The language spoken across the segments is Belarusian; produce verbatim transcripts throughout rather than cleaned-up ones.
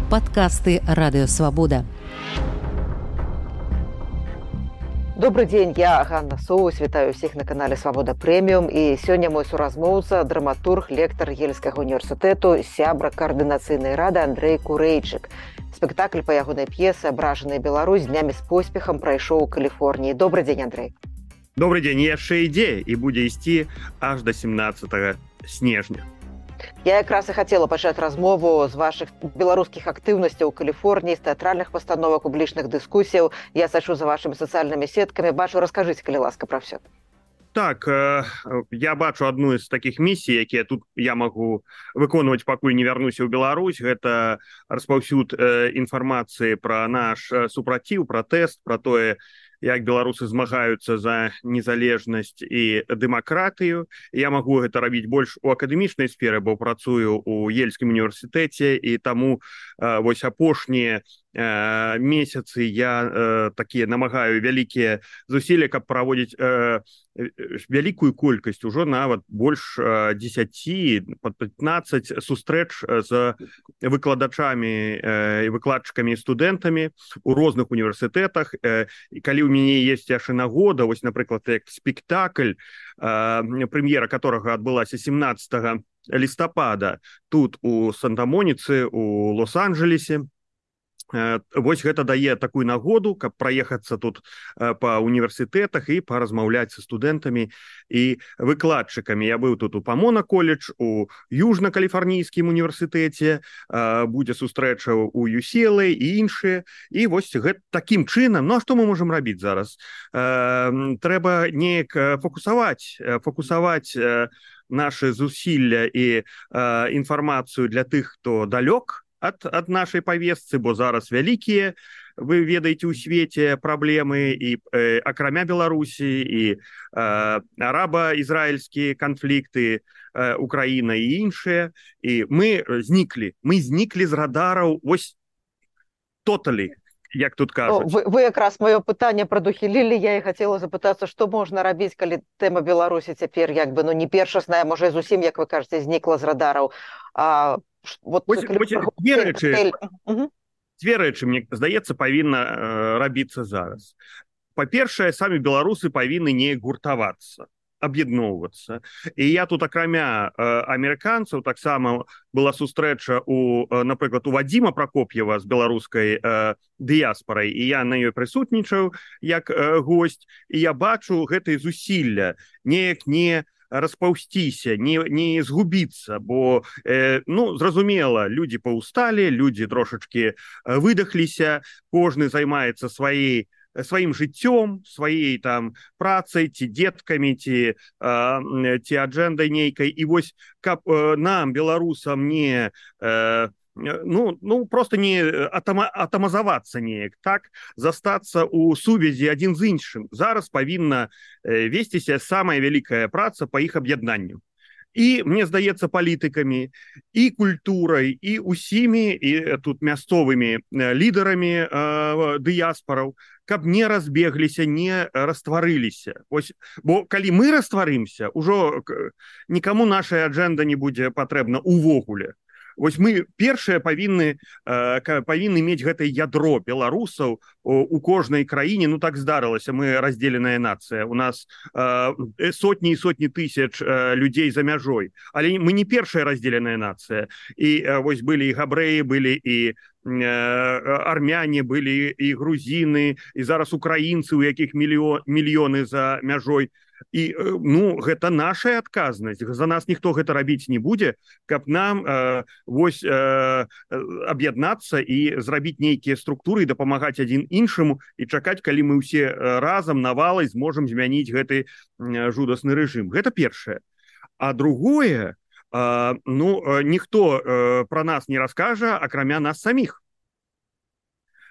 Подкасты «Радио Свобода». Добрый день, я Ганна Соус, вітаю всіх на канале Свобода Премиум. І сёння мой суразмоўца, драматург, лектар Ельскага універсітэту, сябра каардынацыйнай рады Андрэй Курэйчык. Спектакль па ягонай п'есы «Абражаная Беларусь» днямі з поспехам прайшоў у Каліфорніі. Добрый день, Андрэй. Добрый день, яшчэ ідзе і будзе ісці аж до семнадцатага снежня. Я якраз і хацела пачаць размову з вашых беларускіх актыўнасцяў у Каліфорніі, з тэатральных пастановак, публічных дыскусіяў. Я сачу за вашымі сацыяльнымі сеткамі. Бачу, раскажыце, калі ласка, пра ўсё. Так, я бачу адну з такіх місій, якія тут я магу выконваць, пакуль не вярнуся ў Беларусь. Гэта распаўсюд інфармацыі пра наш супраціў, пратэст, пра тое, як беларусы змагаюцца за незалежнасць і дэмакратыю. Я магу гэта рабіць больш у акадэмічнай сферы, бо працую ў Ельскім універсітэце, і таму вось апошнія месяцы я такія намагаю вялікія зусілля, каб праводзіць вялікую колькасць, ужо нават больш дзесяці, пад пятнаццаць сустрэч з выкладачамі і выкладчыкамі і студэнтамі у розных універсітэтах. І калі ў мяне ёсць яшчэ нагода, вось, напрыклад, як спектакль, прэм'ера которага адбылася семнадцатага лістапада тут у Санта-Моніцы, у Лос-Анджелесе. Вось гэта дае такую нагоду, каб праехацца тут па універсітэтах і паразмаўляць са студэнтамі і выкладчыкамі. Я быў тут у Памона колледж, у Южна-Каліфарнійскім універсітэце, будзе сустрэча у ю си эл эй і іншыя. І вось гэта такім чынам. Ну а што мы можам рабіць зараз? Трэба неяк фокусаваць, фокусаваць нашы зусілля і інфармацыю для тых, хто далёк ад, ад нашай павестцы, бо зараз вялікія, вы ведаеце, у свеце праблемы і э, акрамя Беларусі, і э, араба-ізраільскія канфлікты, э, Украіна і іншыя. І мы зніклі, мы зніклі з радараў, вось тоталі, як тут кажуць. Вы, вы якраз маё пытанне прадухілілі. Я і хацела запытацца, што можна рабіць, калі тэма Беларусі цяпер як бы, ну, не першасная, можа, зусім, як вы кажаце, знікла з радараў. А Вот, Вось, вось, две рэчы, две рэчы, мне здаецца, павінна э, рабіцца зараз. Па-першае, самі беларусы павінны неяк гуртавацца, аб'ядноўвацца. І я тут, акрамя э, амерыканцаў, таксама была сустрэча, у, э, напрыклад, у Вадзіма Пракоп'ева з беларускай э, дыяспарай, і я на ёй прысутнічаў як э, госць, і я бачу гэтае зусілля неяк не распаўсціся, не, не згубіцца, бо, э, ну, зразумела, людзі паўсталі, людзі трошачкі выдахліся, кожны займаецца сваей, сваім жыццём, сваей там працай, ці дзеткамі, ці, э, ці аджэндай нейкай. І вось, каб э, нам, беларусам, не... Э, Ну, ну, просто не атама, атамазавацца неяк, так, застацца ў сувязі адзін з іншым. Зараз павінна весціся самая вялікая праца па іх аб'яднанню. І, мне здаецца, палітыкамі, і культурай, і усімі, і тут мясцовымі лідарамі э, дыяспараў, каб не разбегліся, не растварыліся. Ось, бо калі мы растварымся, ужо нікаму наша аджэнда не будзе патрэбна увогуле. Вось мы першыя павінны, э, павінны мець гэтае ядро беларусаў у, у кожнай краіне. Ну так здарылася, мы раздзеленая нацыя. У нас э, сотні і сотні тысяч э, людзей за мяжой. Але мы не першая раздзеленая нацыя. І э, вось былі і габрэі, былі і армяне, былі і грузіны, і зараз украінцы, у якіх мільё, мільёны за мяжой. І, ну, гэта наша адказнасць. За нас ніхто гэта рабіць не будзе, каб нам э, вось э, аб'яднацца і зрабіць нейкія структуры і дапамагаць адзін іншаму і чакаць, калі мы ўсе разам навалай зможам змяніць гэты э, жудасны рэжым. Гэта першае. А другое, э, ну, ніхто э, пра нас не раскажа, акрамя нас саміх.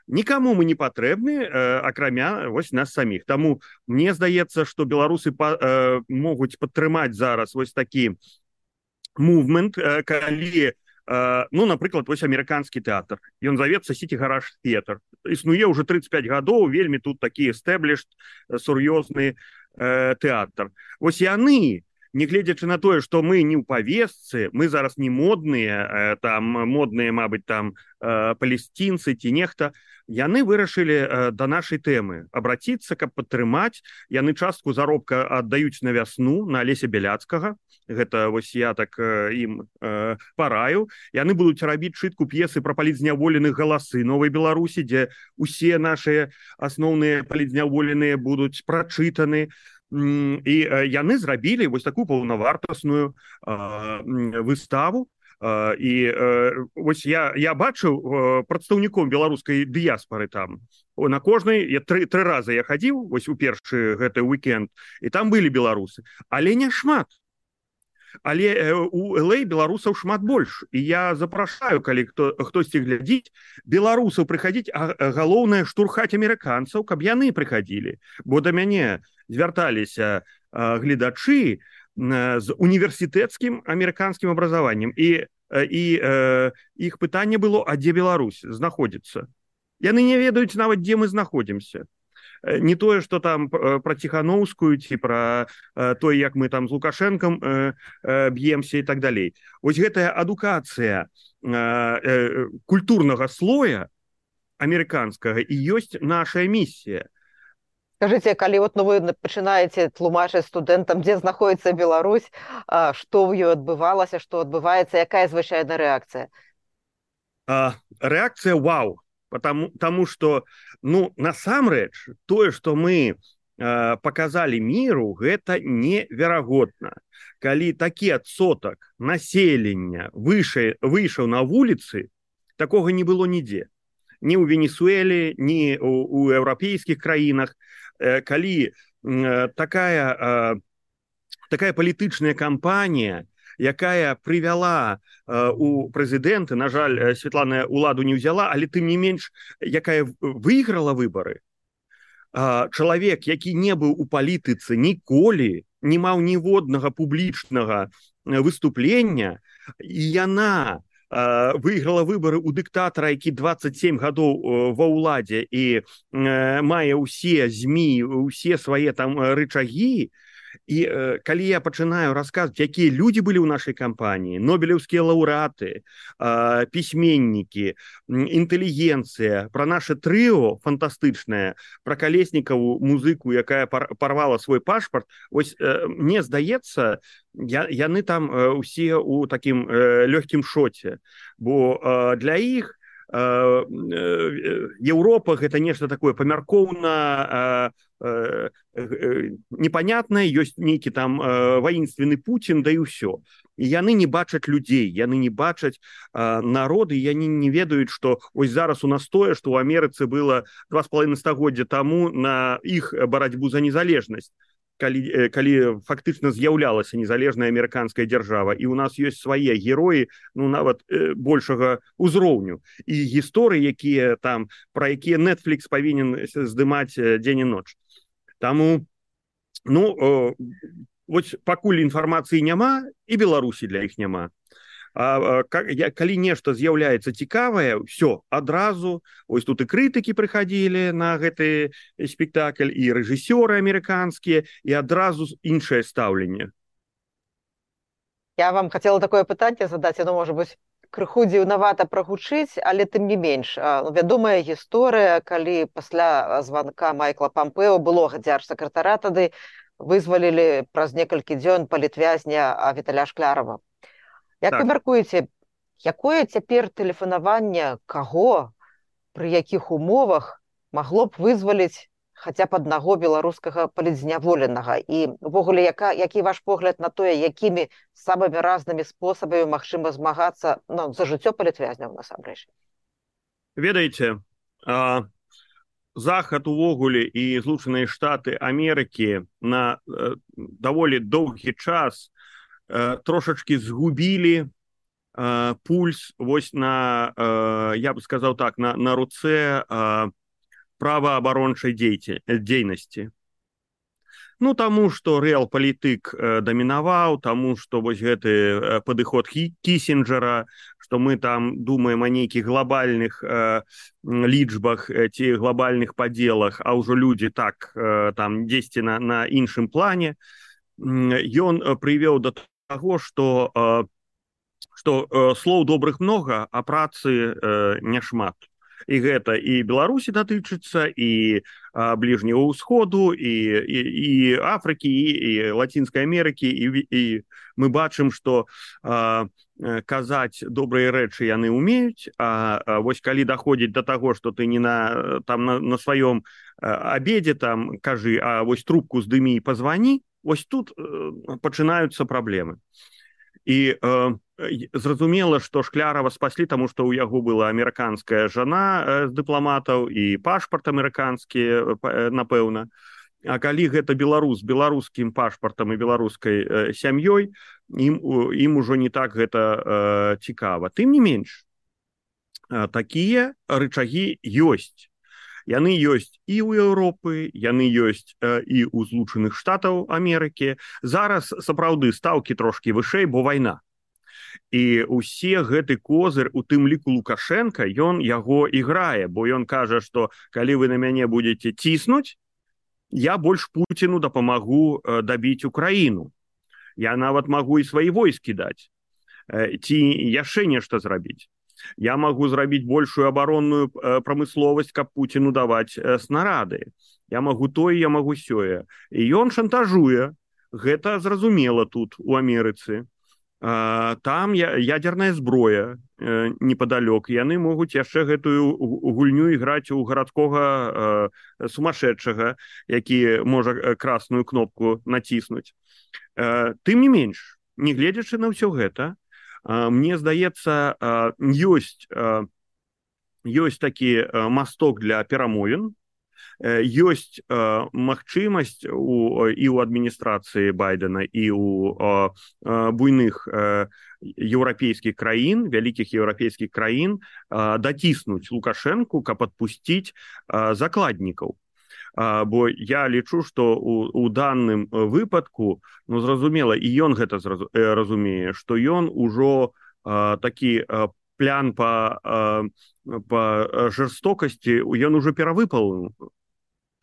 Нікаму мы не патрэбны, э, акрамя вось нас саміх. Таму мне здаецца, што беларусы па, э, могуць падтрымаць зараз вось такі мувмент, э, калі, э, ну, напрыклад, вось амерыканскі тэатр. Ён завецца City Garage Theatre. Існуе ўжо тридцать пять гадоў, вельмі тут такі established, сур'ёзны э, тэатр. Вось яны нягледзячы на тое, што мы не ў павесцы, мы зараз не модныя, там модныя, мабыць, там палесцінцы ці нехта, яны вырашылі да нашай тэмы абраціцца, каб падтрымаць. Яны частку заробка аддаюць на вясну, на Алеся Бяляцкага. Гэта вось я так ім параю. Яны будуць рабіць чытку п'есы пра палітзняволеных «Галасы Новай Беларусі», дзе усе нашыя асноўныя палітзняволеныя будуць прачытаны. І яны зрабілі вось такую паўнавартасную выставу. І вось я, я бачыў прадстаўніком беларускай дыяспары там. На кожнай, я тры, тры разы я хадзіў, вось у першы гэты уикенд, і там былі беларусы. Але не шмат. Але у эл эй беларусаў шмат больш. І я запрашаю, калі хто, хтосьці глядзіць, беларусаў прыхадзіць, а галоўнае штурхаць амерыканцаў, каб яны прыхадзілі. Бо да мяне звярталіся гледачы з універсітэцкім амерыканскім абразаваннем. І, і э, іх пытанне было, а дзе Беларусь знаходзіцца? Яны не ведаюць нават, дзе мы знаходзімся. Не тое, што там пра Ціхановскую ці пра тое, як мы там з Лукашэнкам б'емся і так далей. Вось гэтая адукацыя культурнага слоя амерыканскага і ёсць наша місія. Скажите, калі вот, ну, вы пачынаеце тлумачыць студэнтам, дзе знаходіцца Беларусь, што ў ёй адбывалася, што адбываецца, якая звычайная рэакцыя? Рэакцыя вау, потому, потому что, ну, насамрэч, тое, што мы показалі міру, гэта неверагодна. Калі такі адсотак населення выйшаў на вуліцы, такога не было нідзе. Ні ў Венесуэле, ні ў еўрапейскіх краінах. Калі такая, такая палітычная кампанія, якая прывяла у прэзідэнты, на жаль, Светлана ўладу не ўзяла, але тым не менш, якая выйграла выбары, чалавек, які не быў у палітыцы ніколі, не маў ніводнага публічнага выступлення, і яна выйграла выбары ў дыктатара, які дваццаць сем гадоў ва ўладзе і мае ўсе змі, усе свае там рычагі. І калі я пачынаю расказваць, якія людзі былі ў нашай кампаніі, нобелеўскія лаўрэаты, пісьменнікі, інтэлігенцыя, пра наша трыо фантастычнае, пра Калеснікаву музыку, якая парвала свой пашпарт, вось мне здаецца, яны там усе ў такім лёгкім шоце, бо для іх Еўропа гэта нешта такое памяркоўна непонятнае, ёсць нейкі там ваінственны Пуцін, да і ўсё. І яны не бачаць людзей, яны не бачаць народы, яны не ведаюць, што ось зараз у нас тое, што ў Амерыцы было два з паловай стагоддзя таму на іх барацьбу за незалежнасць. Калі, калі фактычна з'яўлялася незалежная амерыканская дзяржава, і ў нас ёсць свае героі, ну, нават э, большага ўзроўню. І гісторыі, якія там, пра якія Netflix павінен здымаць дзень і ноч. Таму, ну, э, вось пакуль інфармацыі няма, і Беларусі для іх няма. А, калі нешта з'яўляецца цікавае, все, адразу, ось тут і крытыкі прыхадзілі на гэты спектакль, і рэжысёры амерыканскія, і адразу іншае стаўленне. Я вам хацела такое пытанне задаць, оно, можа быць, крыху дзіўнавата прагучыць, але тым не менш. Вядомая гісторыя, калі пасля званка Майкла Пампео, былога дзяржсакратара тады, вызвалілі праз некалькі дзён палітвязня Віталя Шклярова. Як так. Вы мяркуеце, якое цяпер тэлефанаванне каго, пры якіх умовах магло б вызваліць хаця б аднаго беларускага палітзняволенага? І ўвогуле, яка, які ваш погляд на тое, якімі самымі разнымі спосабамі магчыма змагацца, ну, за жыццё палітвязняў насамрэч? Ведаеце, а, Захад увогуле і Злучаныя Штаты Амерыкі на а, даволі доўгі час трошачки згубілі э, пульс вось на, э, я бы сказаў так, на, на руцэ э, праваабарончай дзейнасці. Ну, таму, што рэал-палітык э, дамінаваў, таму, што вось гэты э, падыход Кісінджера, што мы там думаем о нейкіх глобальных э, лічбах э, ці глобальных падзелах, а ўжо людзі так э, там дзесьці на, на іншым плане. ён прывёў да таго, што што слоў добрых многа, а працы няшмат. І гэта і Беларусі датычыцца, і бліжняга ўсходу, і, і, і Афрыкі, і, і Лацінскай Амерыкі, і, і мы бачым, што а, казаць добрыя рэчы яны ўмеюць, а, а вось калі даходзіць да таго, што ты не на, там, на, на сваём абедзе там кажы, а вось трубку здымі і пазвані, вось тут пачынаюцца праблемы. І э, зразумела, што Шклярова спаслі, таму што ў яго была амерыканская жана э, з дыпламатаў і пашпарт амерыканскі, э, напэўна. А калі гэта беларус з беларускім пашпартам і беларускай э, сям'ёй, ім, ім ужо не так гэта э, цікава. Тым не менш, э, такія рычагі ёсць. Яны ёсць і ў Еўропы, яны ёсць э, і ў Злучаных Штатаў Амерыкі. Зараз, сапраўды, стаўкі трошкі вышэй, бо вайна. І ўсе гэты козыр, у тым ліку Лукашенка, ён яго іграе, бо ён кажа, што калі вы на мяне будете ціснуць, я больш Пуціну дапамагу э, дабіць Украіну. Я нават магу і свае войскі даць. Э, ці яшчэ нешта зрабіць. Я магу зрабіць большую абаронную прамысловасць, каб Пуціну даваць снарады. Я магу тое, я магу сёе. І ён шантажуе. Гэта зразумела тут, у Амерыцы. Там ядерная зброя непадалёк. Яны могуць яшчэ гэтую гульню іграць у гарадскога сумасшедшага, які можа красную кнопку націснуць. Тым не менш, не гледзячы на ўсё гэта, мне здаецца, ёсць, ёсць такі масток для перамовін, ёсць магчымасць у, і ў адміністрацыі Байдена, і ў буйных еўрапейскіх краін, вялікіх еўрапейскіх краін даціснуць Лукашэнку, каб адпусціць закладнікаў. Бо я лічу, што у, у данным выпадку, ну, зразумела, і ён гэта зразу, разумее, што ён ужо а, такі а, плян па, а, па жорстокасці, ён ужо перавыпал,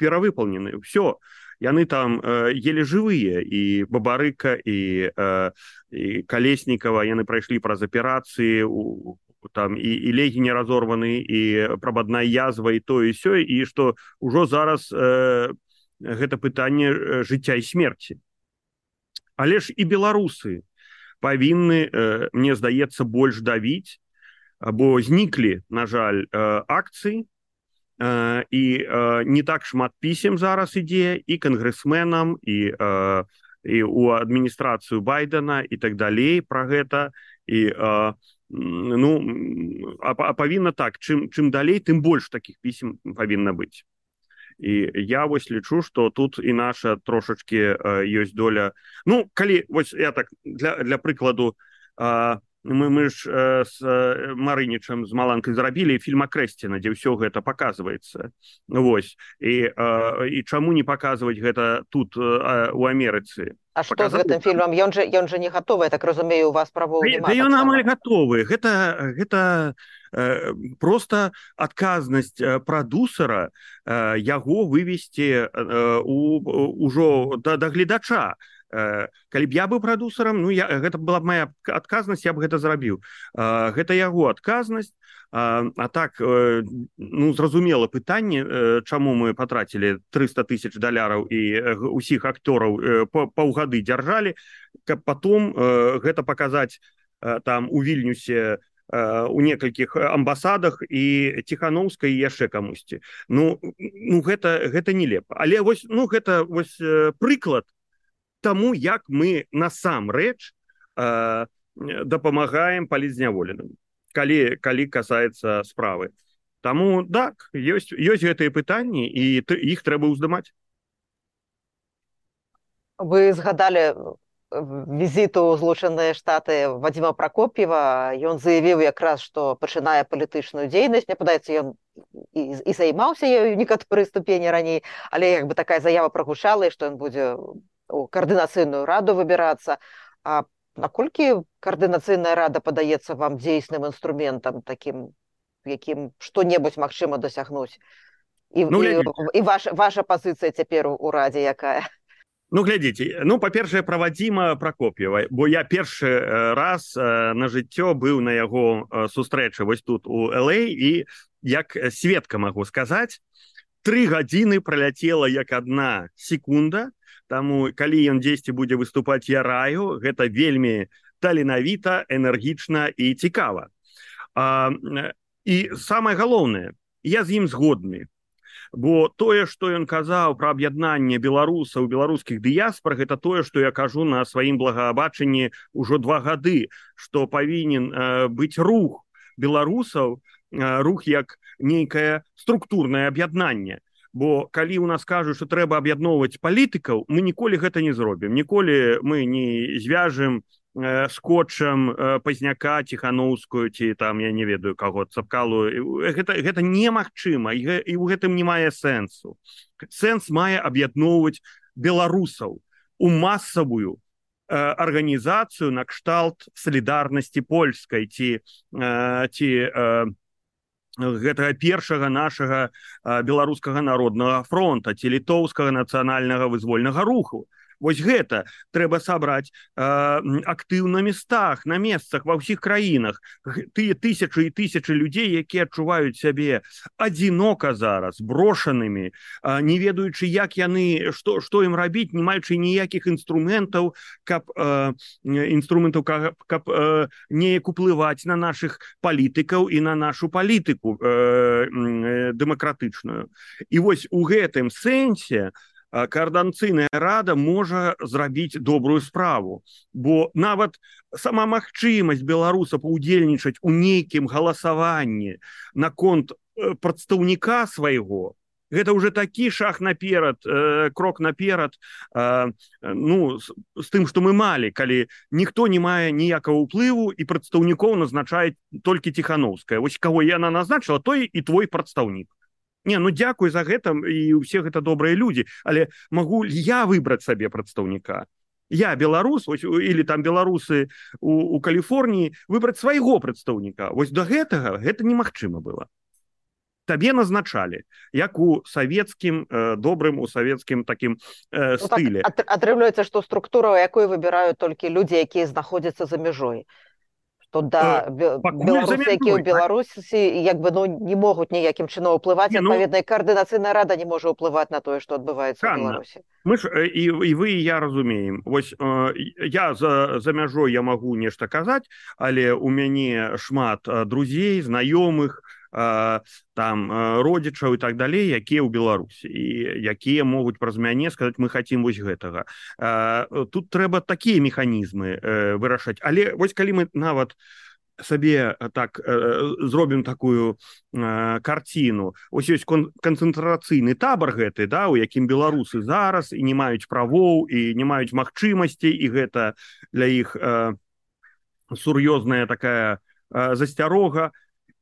перавыпалнены. Все, яны там а, еле жывыя, і Бабарыка, і, а, і Калеснікава, яны прайшлі праз аперацыі, у там і, і легі не разорваны, і прабадная язва, і то, і сё, і што ўжо зараз э, гэта пытанне жыцця і смерці. Але ж і беларусы павінны, э, мне здаецца, больш давіць, бо зніклі, на жаль, э, акцыі, э, і э, не так шмат пісем зараз ідзе і кангрэсменам, і, э, і у адміністрацыю Байдена, і так далей пра гэта, і э, ну, а, а павінна так, чым, чым далей, тым больш такіх пісем павінна быць. І я вось лічу, што тут і наша трошачкі э, ёсць доля. Ну, калі, вось я так, для, для прыкладу, э, мы, мы ж э, з э, Марынічам, з Маланкай зрабілі фільм Акрэсціна, дзе ўсё гэта паказваецца. Вось. І, э, і чаму не паказваць гэта тут, э, у Амерыцы? А што з гэтым фільмам? Ён жа, ён жа не гатовы, я так разумею, у вас правоў няма. Да ён амаль гатовы. Гэта, гэта э, проста адказнасць прадусара э, яго вывесці э, у, ужо да, да гледача. Э, калі б я быў прадусарам, ну, я, гэта была б моя адказнасць, я б гэта зрабіў. Э, гэта яго адказнасць. А, а так, э, ну, зразумела пытанне, э, чаму мы патрацілі трыста тысяч даляраў і э, усіх актораў э, паўгады дзяржалі, каб потом э, гэта паказаць э, там у Вільнюсе, э, у некалькіх амбасадах і Ціхановскай і яшчэ камусьці. Ну, ну гэта, гэта нелепа. Але вось, ну, гэта вось э, прыклад таму, як мы насамрэч э, дапамагаем палітзняволеным. Калі, калі касаецца справы. Таму, так, ёсць, ёсць гэтыя пытанні, і іх трэба ўздымаць. Вы згадалі візіт у Злучаныя Штаты Вадзіма Пракоп'ева. Ён заявіў якраз, што пачынае палітычную дзейнасць. Мне падаецца, ён і, і займаўся ёю некаторыя ступені раней, але як бы такая заява прагучала, што ён будзе у каардынацыйную раду выбірацца. А наколькі каардынацыйная рада падаецца вам дзейсным інструментам, такім, якім што-небудзь магчыма дасягнуць? І, ну, і, і ваш, ваша пазіцыя цяпер у радзе якая? Ну, глядзіце, ну, па-першае, пра Вадзіма Пракоп'ева, бо я першы раз на жыццё быў на яго сустрэчы вось тут у эл эй, і як сведка магу сказаць, тры гадзіны праляцела як адна секунда, таму калі ён дзесьці будзе выступаць, я раю, гэта вельмі таленавіта, энергічна і цікава. А, і самае галоўнае, я з ім згодны, бо тое, што ён казаў пра аб'яднанне беларусаў, беларускіх дыяспор, гэта тое, што я кажу на сваім благабачанні ўжо два гады, што павінен э, быць рух беларусаў, рух як нейкае структурнае аб'яднанне. Бо калі ў нас кажуць, што трэба аб'ядноўваць палітыкаў, мы ніколі гэта не зробім. Ніколі мы не звяжем э, скотчам э, Пазняка, Ціхановскую, ці там, я не ведаю каго, Цапкалу. Гэта, гэта немагчыма, і, і ў гэтым не мае сэнсу. Сэнс мае аб'ядноўваць беларусаў у масавую э, арганізацыю на кшталт салідарнасці польскай, ці, э, ці э, гэтага першага нашага беларускага народнага фронта, ці літоўскага нацыянальнага вызвольнага руху. Вось гэта трэба сабраць э, актыў на местах, на месцах, ва ўсіх краінах. Тыя тысячы і тысячы людзей, якія адчуваюць сябе адзінока зараз, брошанымі, э, не ведаючы, як яны, што, што ім рабіць, не маючы ніякіх інструментаў, каб, э, інструментаў, каб, каб э, неяк уплываць на нашых палітыкаў і на нашу палітыку э, э, дэмакратычную. І вось у гэтым сэнсе Координацыйная рада можа зрабіць добрую справу, бо нават сама магчымасць беларусаў паўдзельнічаць у нейкім галасаванні наконт прадстаўніка свайго, гэта ўжо такі шаг наперад, э, крок наперад, э, ну, з, з тым, што мы малі, калі ніхто не мае ніякага ўплыву і прадстаўнікоў назначае толькі Ціхановская. Вось каго яна назначыла, той і твой прадстаўнік. Не, ну дзякуй за гэта, і ўсе гэта добрыя людзі, але магу я выбраць сабе прадстаўніка? Я беларус, ось, или там беларусы у, у Каліфорніі, выбраць свайго прадстаўніка. Вось до гэтага гэта немагчыма было. Табе назначалі, як у савецкім, э, добрым, у савецкім такім э, стылі. Ну, так, атрымліваецца, што структура, якой выбіраюць толькі людзі, якія знаходзяцца за мяжой. То да, беларусы, якія ў Беларусі, як бы, ну, не могуць ніякім чынам уплываць, адпаведна, і Координацыйная рада не можа ўплываць на тое, што адбываецца ў Беларусі. Мы ж, і, і вы, і я разумеем. Вось э, я за, за мяжой я магу нешта казаць, але у мяне шмат друзей, знаёмых, э, там, родзічаў і так далей, якія ў Беларусі, і якія могуць праз мяне сказаць, мы хацім вось гэтага. Э, тут трэба такія механізмы э, вырашаць. Але вось калі мы нават сабе так э, зробім такую э, карціну, ось ёсць кон канцэнтрацыйны табар гэты, да, у якім беларусы зараз і не маюць правоў, і не маюць магчымасцей, і гэта для іх э, сур'ёзная такая э, засцярога.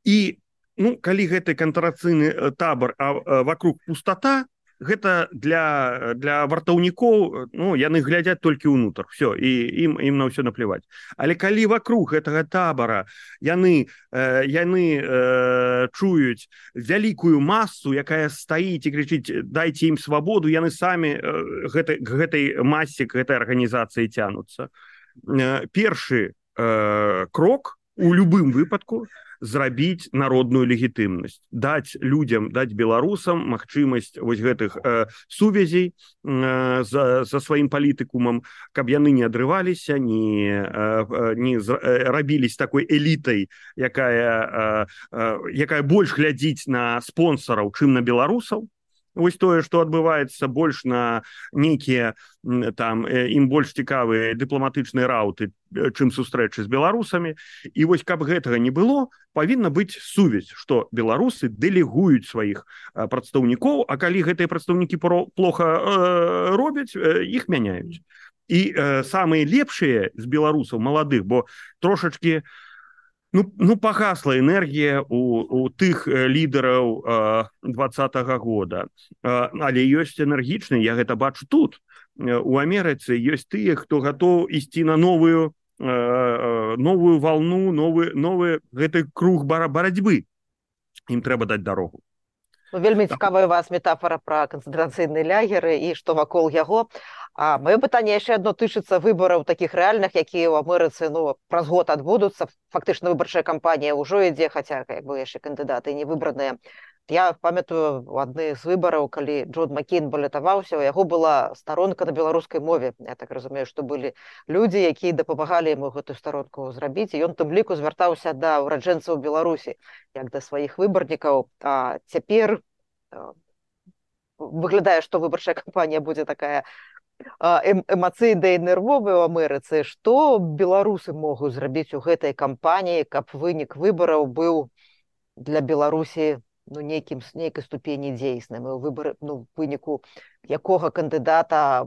І ну, калі гэты канцэнтрацыйны табар, а, а вокруг пустата, гэта для, для вартаўнікоў, ну, яны глядзяць толькі ўнутр, все, і ім, ім на ўсё наплеваць. Але калі вокруг гэтага табара яны, э, яны э, чуюць вялікую масу, якая стаіць і крычыць, дайце ім свабоду, яны самі э, гэтай, гэтай масе, гэтай арганізацыі цянуцца. Э, першы э, крок у любым выпадку зрабіць народную легітымнасць, даць людзям, даць беларусам магчымасць вось гэтых э, сувязей э, за, за сваім палітыкумам, каб яны не адрываліся, не, э, не з, э, рабіліся такой элітай, якая, э, э, якая больш глядзіць на спонсараў, чым на беларусаў. Вось тое, што адбываецца больш на нейкія, там, ім больш цікавыя дыпламатычныя рауты, чым сустрэчы з беларусамі. І вось каб гэтага не было, павінна быць сувязь, што беларусы дэлегуюць сваіх прадстаўнікоў, а калі гэтыя прадстаўнікі плохо э, робяць, э, іх мяняюць. І э, самыя лепшыя з беларусаў маладых, бо трошачкі Ну, ну пагасла энергія у, у тых лідараў э, двадцатага года. Э, але ёсць энергічныя, я гэта бачу тут. Э, у Амерыцы ёсць тыя, хто гатоў ісці на новую, э, новую волну, новы, новы гэты круг барацьбы. Ім трэба даць дарогу. Ну, вельмі цікавая у вас метафора пра канцэнтрацыйныя лагеры і што вакол яго. А маё пытанне яшчэ адно тычыцца выбараў такіх рэальных, якія ў Амерыцы ну праз год адбудуцца. Фактычна выбарчая кампанія ўжо ідзе, хаця як бы яшчэ кандыдаты не выбраныя. Я памятаю у адны з выбараў, калі Джон Маккейн балятаваўся, у яго была старонка на беларускай мове. Я так разумею, што былі людзі, якія дапамагалі яму гэтую старонку зрабіць, і ён тым ліку звяртаўся да ўраджэнцаў Беларусі як да сваіх выбарнікаў. А цяпер выглядае, што выбарчая кампанія будзе такая эмацыйная і нервовая ў Амерыцы. Што беларусы могуць зрабіць у гэтай кампаніі, каб вынік выбараў быў для Беларусі ну, нейкім, нейкай ступені дзейсным, і ў выбары, ну, выніку якога кандыдата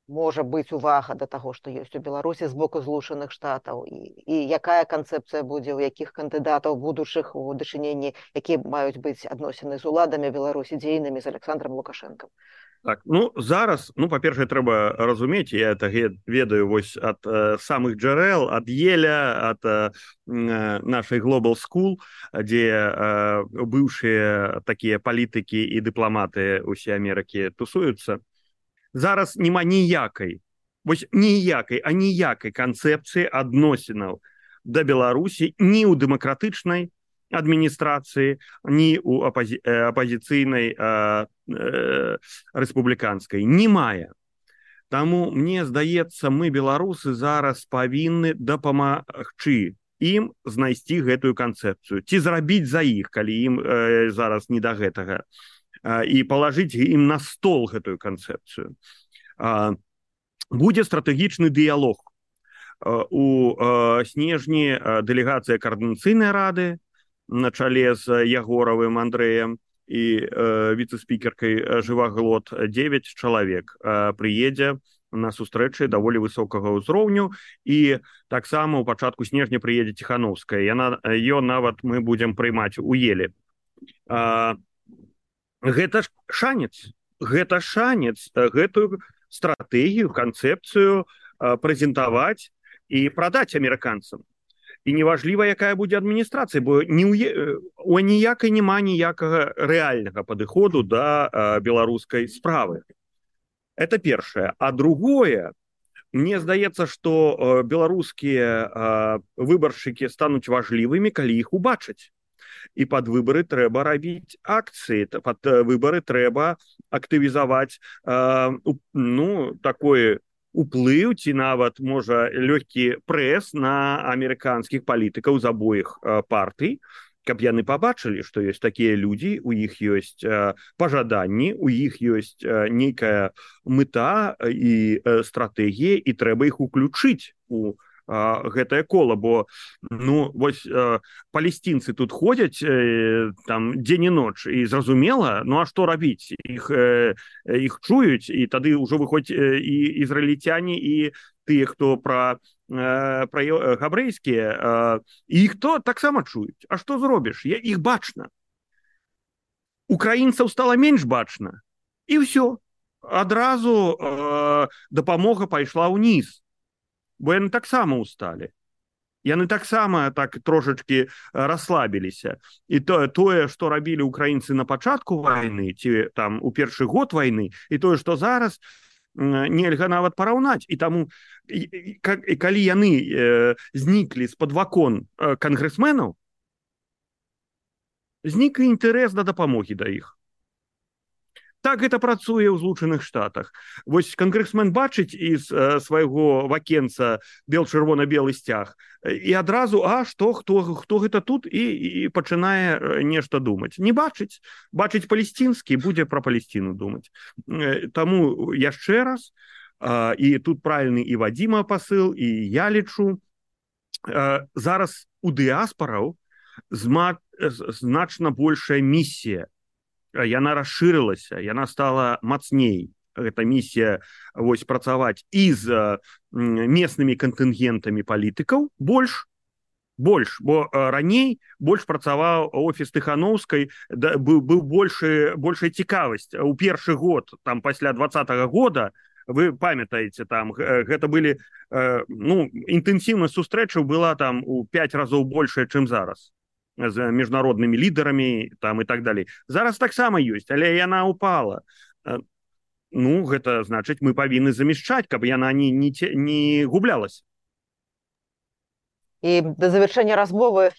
можа быць увага да таго, што ёсць у Беларусі з боку Злучаных Штатаў, і, і якая канцэпцыя будзе, у якіх кандыдатаў будучых у дачыненні, якія маюць быць адносіны з уладамі Беларусі дзейнымі з Александром Лукашэнкам. Так, ну зараз, ну па-першае, трэба разумець, я это ведаю вось ад э, самых джарэл, ад Еля, ад э, нашай Global School, дзе э, быўшыя такія палітыкі і дыпламаты ўсе Амерыкі тусуюцца. Зараз няма ніякай, вось ніякай, а ніякай канцэпцыі адносінаў да Беларусі ні ў дэмакратычнай адміністрацыі, ні ў апази апазіцыйнай э, э, рэспубліканскай. Не мае. Таму, мне здаецца, мы, беларусы, зараз павінны дапамагчы ім знайсці гэтую канцэпцыю. Ці зрабіць за іх, калі ім э, зараз не да гэтага. Э, і палажыць ім на стол гэтую канцэпцыю. Э, будзе стратэгічны дыялог. Э, у э, снежні э, дэлегацыя Коордынацыйнай рады на чале з Ягоравым Андрэем і э, віцэ-спікеркай Жываглот дзевяць чалавек э, прыедзе на сустрэчы даволі высокага ўзроўню, і таксама ў пачатку снежня прыедзе Ціхановская. Яна, ён нават мы будзем прыймаць у Еле. Э, гэта ж шанец, гэта шанец гэтую стратэгію, канцэпцыю э, прэзентаваць і прадаць амерыканцам. І неважліва, якая будзе адміністрацыя, бо ні ў, у ніякай няма ніякага рэальнага падыходу да э, беларускай справы. Это першае. А другое, мне здаецца, што э, беларускія э, выбаршчыкі стануць важлівымі, калі іх убачаць. І пад выбары трэба рабіць акцыі, пад выбары трэба актывізаваць э, ну, такое уплыў ці нават, можа, лёгкі прэс на амерыканскіх палітыкаў з абоіх э, партый, каб яны пабачылі, што ёсць такія людзі, у іх ёсць э, пажаданні, у іх ёсць э, нейкая мэта і э, стратэгія, і трэба іх уключыць у гэтае кола, бо ну вось э, палестинцы тут ходзяць э, там дзень і ноч, і зразумела, ну а што рабіць, іх э, іх чуюць, і тады ўжо выходзь э, і ізраільцяне, і тыя, хто пра э, пра габрэйскія э, іх то таксама чуюць. А што зробіш? Я іх бачна. Украінцаў стала менш бачна, і ўсё, адразу э, дапамога пайшла ўніз. Бо яны таксама усталі. Яны таксама так трошачкі расслабіліся. І тое, тое, што рабілі украінцы на пачатку вайны, ці там у першы год вайны, і тое, што зараз, нельга нават параўнаць. І таму, і, і, калі яны э, зніклі з-пад вакон э, кангрэсменаў, знік інтарэс да дапамогі да іх. Так гэта працуе ў Злучаных Штатах. Вось кангрэсмен бачыць з э, свайго вакенца бел-чырвона-белы сцяг, і адразу, а што, хто, хто гэта тут, і, і пачынае нешта думаць. Не бачыць. Бачыць палестінскі, будзе пра Палесціну думаць. Э, таму яшчэ раз, э, і тут правільны і Вадзіма пасыл, і я лічу, э, зараз у дыаспараў зма... значна большая місія. Яна расшырылася, яна стала мацней. Гэта місія вось працаваць і з местнымі кантынгентамі палітыкаў больш, больш, бо раней больш працаваў офіс Тыхановскай, да, быў, быў большы, большая цікавасць. У першы год, там пасля двадцатага года, вы памятаеце, там гэта былі, ну, інтэнсіўнасць сустрэчаў была там у пяць разоў большая, чым зараз. З міжнароднымі лідарамі там і так далей. Зараз таксама ёсць, але яна упала. ну гэта значыць мы павінны замяшчаць, каб яна не, не, не гублялась. І да завяршэння размовы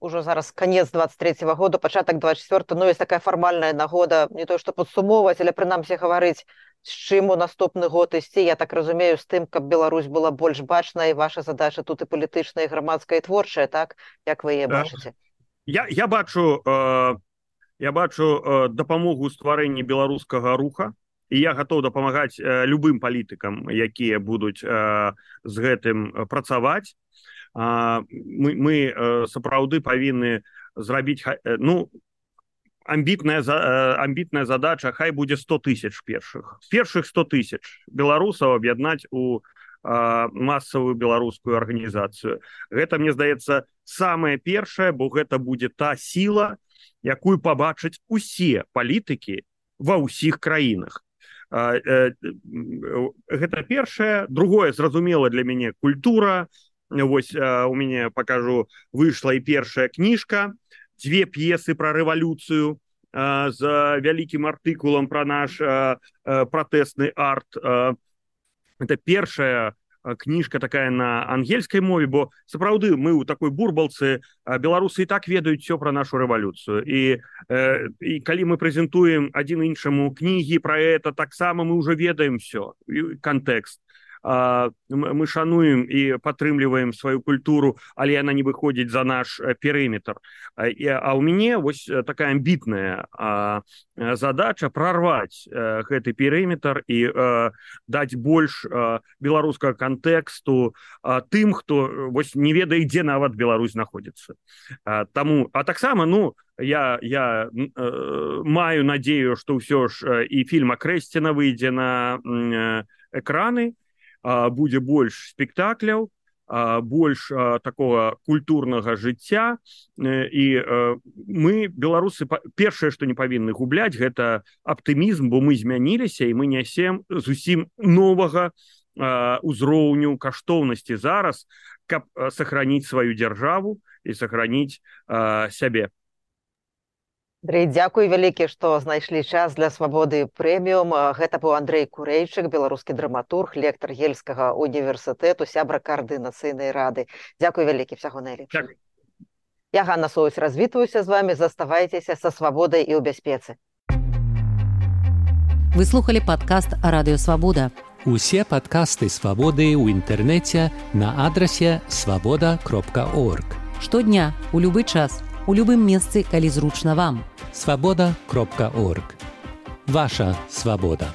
ўжо зараз канец двадцать третьего года, пачатак двадцать четвёртого, ну, есть такая фармальная нагода, не то што падсумоўваць, але прынамсі гаварыць, з чым у наступны год ісці, я так разумею, з тым, каб Беларусь была больш бачная, і ваша задача тут і палітычная, і грамадская, і творчая, так? Як вы яе бачыце? Я, я бачу, э, я бачу э, дапамогу ў стварэнні беларускага руха, і я гатоў дапамагаць э, любым палітыкам, якія будуць э, з гэтым працаваць. Э, мы, мы э, сапраўды павінны зрабіць, э, ну, амбітная, э, амбітная задача, хай будзе сто тысяч першых. Першых сто тысяч беларусаў аб'яднаць у э, масавую беларускую арганізацыю. Гэта, мне здаецца, самае першае, бо гэта будзе та сіла, якую пабачаць усе палітыкі ва ўсіх краінах. Э, э, гэта першае. Другое, зразумела для мяне, культура. Вось э, у мяне, пакажу, выйшла і першая кніжка, две п'есы пра рэвалюцыю э, з вялікім артыкулам пра наш э, э, пратэсны арт. Э, это першая кніжка такая на ангельскай мове, бо сапраўды мы ў такой бурбалцы, беларусы і так ведаюць все пра нашу рэвалюцыю. І, э, і калі мы прэзентуем адзін іншаму кнігі пра это, таксама мы ўжо ведаем все, кантэкст. Мы шануем і падтрымліваем сваю культуру, але яна не выходзіць за наш перыметр. А ў мяне вось такая амбітная задача прарваць гэты перыметр і даць больш беларускага кантэксту тым, хто вось не ведае, дзе нават Беларусь знаходзіцца. Таму, а таксама, ну, я, я э, маю надзею, што ўсё ж і фільм Акрэсціна выйдзе на э, экраны, будзе больш спектакляў, больш такого культурнага жыцця, і мы, беларусы, першае, што не павінны губляць, гэта аптымізм, бо мы змяніліся, і мы нясем зусім новага узроўню каштоўнасці зараз, каб сохраніць сваю дзяржаву і сохраніць сябе. Андрей, дзякуй вялікі, што знайшлі час для Свабоды прэміум. Гэта быў Андрей Курэйчык, беларускі драматург, лектар Ельскага універсітэту, сябра Каардынацыйнай рады. Дзякуй вялікі, всяго найлепшага. Я Ганна Соусь развітваюся з вами, заставайцеся са свабодай і ў бяспецы. Вы слухали падкаст Радыё Свабода. Усе падкасты Свабоды ў інтэрнэце на адрасе свабода кропка орг. Штодня, у любы час, у любым месцы, калі зручна вам. свабода кропка орг. Ваша свабода.